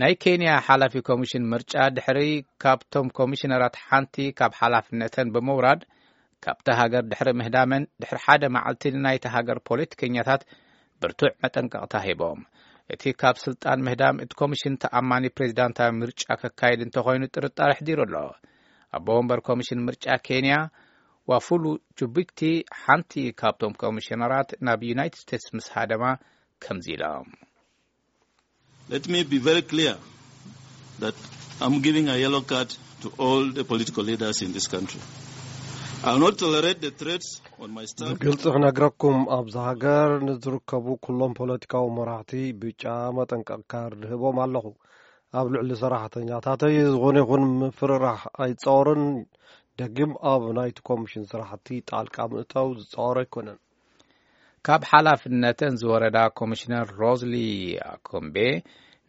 ናይ ኬንያ ሓላፊ ኮሚሽን ምርጫ ድሕሪ ካብቶም ኮሚሽነራት ሓንቲ ካብ ሓላፍነተን ብምውራድ ካብታ ሃገር ድሕሪ ምህዳመን ድሕሪ ሓደ መዓልቲ ንናይታ ሃገር ፖለቲከኛታት ብርቱዕ መጠንቀቕታ ሂቦም። እቲ ካብ ስልጣን ምህዳም እቲ ኮሚሽን ተኣማኒ ፕሬዚዳንታዊ ምርጫ ከካይድ እንተኾይኑ ጥርጣረ ኣሕዲሩ ኣሎ። ኣቦ ወንበር ኮሚሽን ምርጫ ኬንያ ዋፉሉ ጁቢክቲ ሓንቲ ካብቶም ኮሚሽነራት ናብ ዩናይትድ ስቴትስ ምስ ሃደማ ከምዚ ኢሎም። Let me be very clear that I'm giving a yellow card to all the political leaders in this country. I'll not tolerate the threats on my staff. ብግልፂ ክነግረኩም ኣብዚ ሃገር ንዝርከቡ ኩሎም ፖለቲካዊ መራሕቲ ብጫ መጠንቀቕ ካርድ ህቦም ኣለኹ። ኣብ ልዕሊ ሰራሕተኛታተይ ዝኾነ ይኹን ምፍርራሕ ኣይፃወርን። ደጊም ኣብ ናይቲ ኮሚሽን ስራሕቲ ጣልቃ ምእታው ዝፃወር ኣይኮነን። ካብ ሓላፍነተን ዝወረዳ ኮሚሽነር ሮዝሊ ኣኮምቤ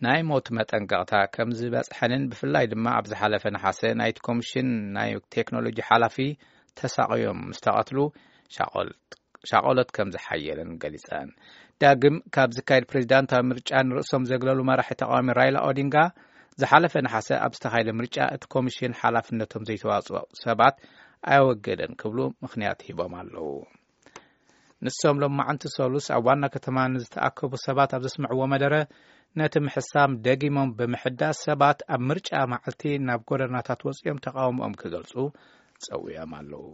ናይ ሞት መጠንቀቕታ ከም ዝበፅሐንን ብፍላይ ድማ ኣብ ዝሓለፈ ነሓሰ ናይቲ ኮሚሽን ናይ ቴክኖሎጂ ሓላፊ ተሳቕዮም ምስ ተቐትሉ ሻቆሎት ከም ዝሓየለን ገሊፀን። ዳግም ካብ ዝካየድ ፕሬዚዳንታዊ ምርጫ ንርእሶም ዘግለሉ መራሒ ተቃዋሚ ራይላ ኦዲንጋ ዝሓለፈ ነሓሰ ኣብ ዝተኻየደ ምርጫ እቲ ኮሚሽን ሓላፍነቶም ዘይተዋፅኦ ሰባት ኣየወገደን ክብሉ ምኽንያት ሂቦም ኣለዉ። ንሶም ሎማዓንቲ ሰሉስ ኣብ ዋና ከተማ ንዝተኣከቡ ሰባት ኣብ ዘስምዕዎ መደረ ነቲ ምሕሳም ደጊሞም ብምሕዳስ ሰባት ኣብ ምርጫ መዓልቲ ናብ ጎደናታት ወፂኦም ተቃውሞኦም ክገልፁ ፀዊዖም ኣለዉ።